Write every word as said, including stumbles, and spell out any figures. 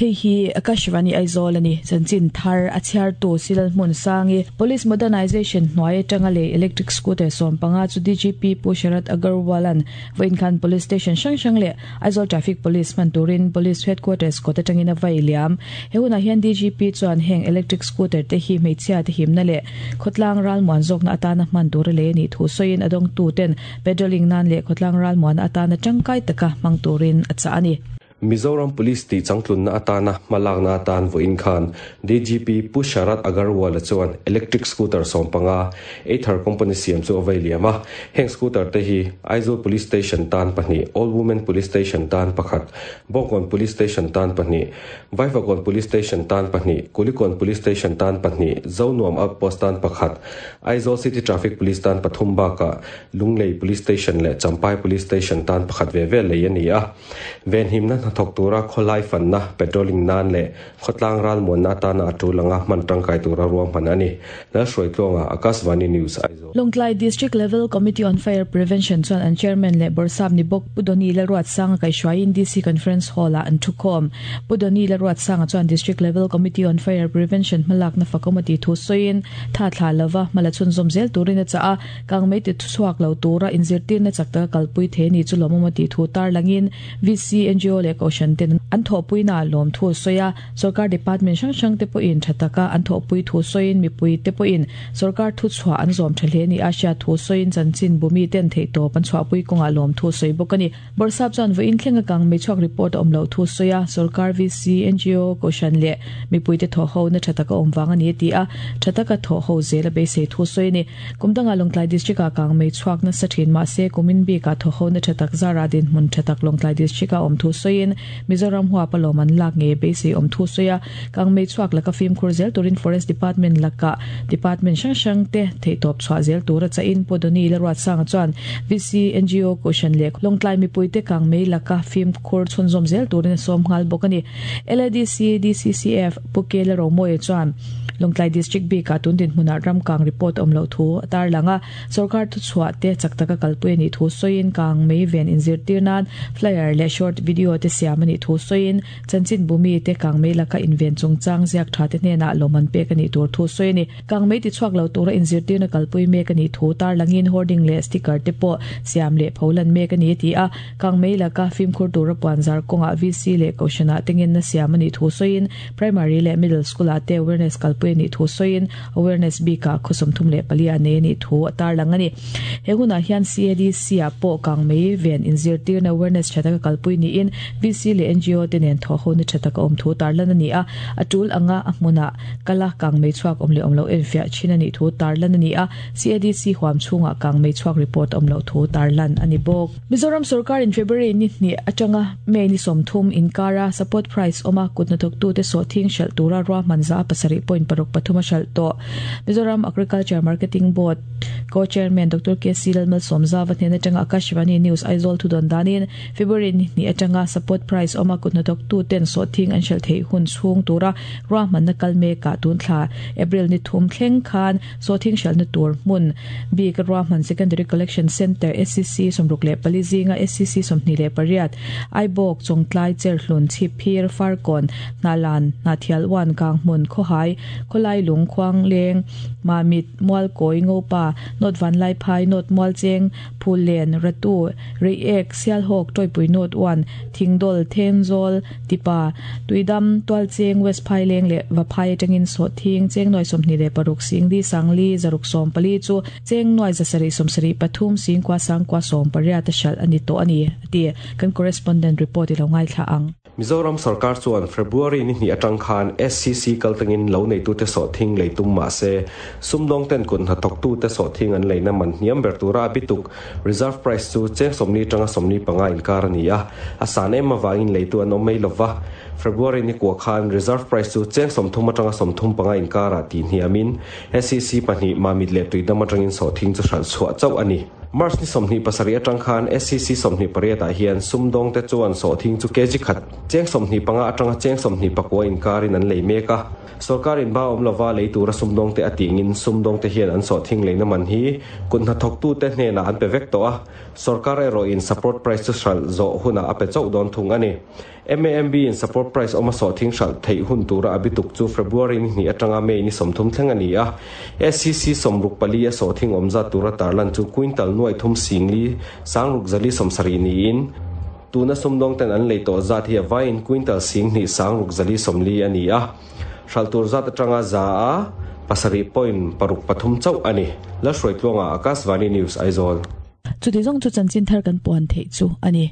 Hei hi Akashvani Aizawl ani chanchin thar a chhiar tu Silal hmun sangi Police Modernization hnuai atanga le electric scooter sawm panga chu D G P Pu Sharat Agarwalan vawiin khan police station hrang hrang leh Aizawl Traffic Police hman turin Police Headquarters kawt atangin a vai liam. He hunah hian D G P chuan heng electric scooter te hi hmeichhia te himna leh khawtlang ralmuan zawkna atana hman tur a lei anih thu sawiin, a dawngtu ten patrolling nan leh khawtlang ralmuan atana tangkai taka hmang turin a chah ani. Mizoram Police ti changtlunna atana hmalakna atan vawiin khan D G P Pu Sharat Agarwal chuan electric scooter sawmpanga Ather company siam chu a vai liam a. Heng scooter te hi Aizawl Police Station tan pahnih, All Women Police Station tan pakhat, Bawngkawn Police Station tan pahnih, Vaivakawn Police Station tan pahnih, Kulikawn Police Station tan pahnih, Zonuam Outpost tan pakhat, Aizawl City Traffic Police tan pathum baka Lunglei Police Station leh Champhai Police Station tan pakhat ve ve lei ani a. Venhimna hnathawk tura khawlai fanna, patrolling nan leh khawtlang ralmuanna atana a tul anga hman tangkai tura ruahman ani. Lalhruaitluanga, Akashvani News, Aizawl. Lawngtlai District Level Committee on Fire Prevention chuan an chairman leh Bawrhsap ni bawk Pu Doni Lalruatsanga kaihhruaiin D C Conference Hall ah an thukhawm. Pu Doni Lalruatsanga chuan District Level Committee on Fire Prevention hmalakna fakawm ti thu sawiin, tha thla lova hmala chhunzawm zel turin a chah a. Kangmei ti chhuak lo tura inzirtirna chak taka kalpui the ni chu lawmawm ti thu tar langin, V C, N G O leh kohhran ten an thawhpuina lawm thu sawi a. Sarkar department hrang hrang te pawhin tha taka an thawhpui thu sawiin, mipui te pawhin sarkar thu chhuah an zawm tha hle ni a hriat thu sawiin, chanchin bumi ten theihtawp an chhuahpui kawngah lawm thu sawi bawk ani. Bawrhsap chuan vawiin thlenga kangmei chhuak report a awm lo thu sawi a, sarkar, V C, N G O, kohhran leh mipui te thaw ho na tha taka awm wang ani ti a, tha taka thaw ho zel a beisei thu sawi ni. Kumdanga Lawngtlai District a kangmei chhuak na sa thin ma se kumin bi ka thaw ho na tha tak zara din hmun tha tak Lawngtlai District a awm thu sawiin, Mizoram huwa paloman lak nge beisei awm thu sawi a. Kangmei chhuak laka fimkhur zel turin Forest Department laka department hrang hrang te theihtawp chhuah zel tura chain Pu Doni Lalruatsanga chuan V C, N G O, kohhran leh Lawngtlai mipui te kangmei laka fimkhur chhunzawm zel turin a sawm nghal bawk ani. L A D C D C C F Pu Kela Romoe chuan Lawngtlai District bi ka tun din hmuna ramkang report awm lo thu tar langa, sarkar thu chhuah te chak taka kalpui ani thu sawiin, kang mei ven inzirtir nan flyer leh short video te siam ani thu sawiin, chanchin bumi te kang mei laka inven chungchang ziak tha te hnena loman pek ani tur thu sawi ni. Kang mei ti chhuak lo tura inzirtir na kalpui mek ani thu tar langin, hoarding leh sticker te pawh siam leh pholan mek ani ti a. Kang mei laka fimkhur tura puanzar kawnga V C leh kohhrana tengin na siam ani thu sawiin, primary leh middle school ah te awareness kalpui ani thu sawiin, awareness bika khawsawm thum leh pali a nei ani thu a tar lang ani. He hunah hian C A D C ah pawh kang mei ven inzirtir na awareness tha taka kalpui ni in V C leh N G O te nen thaw ho na tha taka awm thu tar lan ani a. Atul anga a hmuna kala kang mei chhuak awm leh awm lo enfiah thin ani thu tar lan ani a. C A D C huam chhunga kang mei chhuak report awm lo thu tar lan ani bawk. Mizoram sarkar in February ni hnih atanga May ni sawmthum inkara support price oma kutna thawk tu te sawhthing hralh tura ruahman za pasarih point paruk pathum a hralh tawh. Mizoram Agriculture Marketing Board co-chairman Doctor K C Lalmalsawmzauva hnen atanga Akashvani News Aizawl thu dawn danin, February ni hnih atanga support price oma kutna thawk tu ten sawhthing an hralh theih hun chhung tura ruahman na kal mekah tun thla April ni thum thleng khan sawhthing hralhna tur hmun bik ruahman Secondary Collection Center S C C sawmruk leh pali zinga S C C sawmhnih leh pariat Aibawk, Chawngtlai, Cherhlun, Chhipphir, Farkawn, Hnahlan, Hnahthial one, Kanghmun, Khawhai, Khawlailung, Khuangleng, Mamit, Mualkawi, Ngopa, North Vanlaiphai, North Mualcheng, Phullen, Ratu, Reiek, Sialhawk, Tawipui North one, Thingdawl, Thenzawl, Tipa, Tuidam, Tualcheng, West Phaileng leh Vaphai atangin sawhthing cheng nuai sawmhnih leh paruk singli sangli zaruk sawm pali chu cheng nuai zasarih sawmsarih pathum singkua sangkua sawm pariat a hralh ani tawh ani ati. Kan correspondent report i lo ngaithla ang. Mizoram sarkar chuan February ni hnih atang khan S C C kaltangin lo nei tu te sawhthing lei tum ma se sumdawng ten kun hnathawk tu te sawhthing an leina man hniam ber tura bituk reserve price chu cheng sawmli atanga sawmli panga inkar ani a. A san em awangin leitu an awm mai lova. February ni kwa khan reserve price chu cheng sawmthum atanga sawmthum panga inkara ti hniamin S C C pahnih Mamit leh Tuidam atangin sawhthing chu hralh chhuah chauh ani. March ni sawmhnih pasarih atang khan S C C sawmhnih pariat ah hian sumdawng te chuan sawhthing chu kg khat cheng sawmhnih panga atanga cheng sawmhnih pakua inkarin an lei mek a. Sarkarin ba awm lova lei tura sumdawng te a tingin sumdawng te hian an sawhthing leina man hi kut hnathawk tu te hnenah an pe vek tawh a. Sarkar erawh in support price chu hralh zawh hunah a pe chauh dawn thung ani. M A M B in support price oma sawhthing hralh theih hun tura a bituk chu February ni hnih atanga May ni sawmthum thleng a ni a. S C C sawmruk pali a sawhthing awmzat tura tarlan chu quintal nuai thum singli sangruk zali sawmsarih niin tuna sumdawng ten an lei tawh zat hi a vaiin quintal singhnih sangruk zali sawmli a ni a. Hralh tur zat atanga za a pasarih point paruk pathum chauh a ni. Lalhruaitluanga, Akashvani News, Aizawl. Chuti zawng chu chanchin thar kan puan theih chu a ni.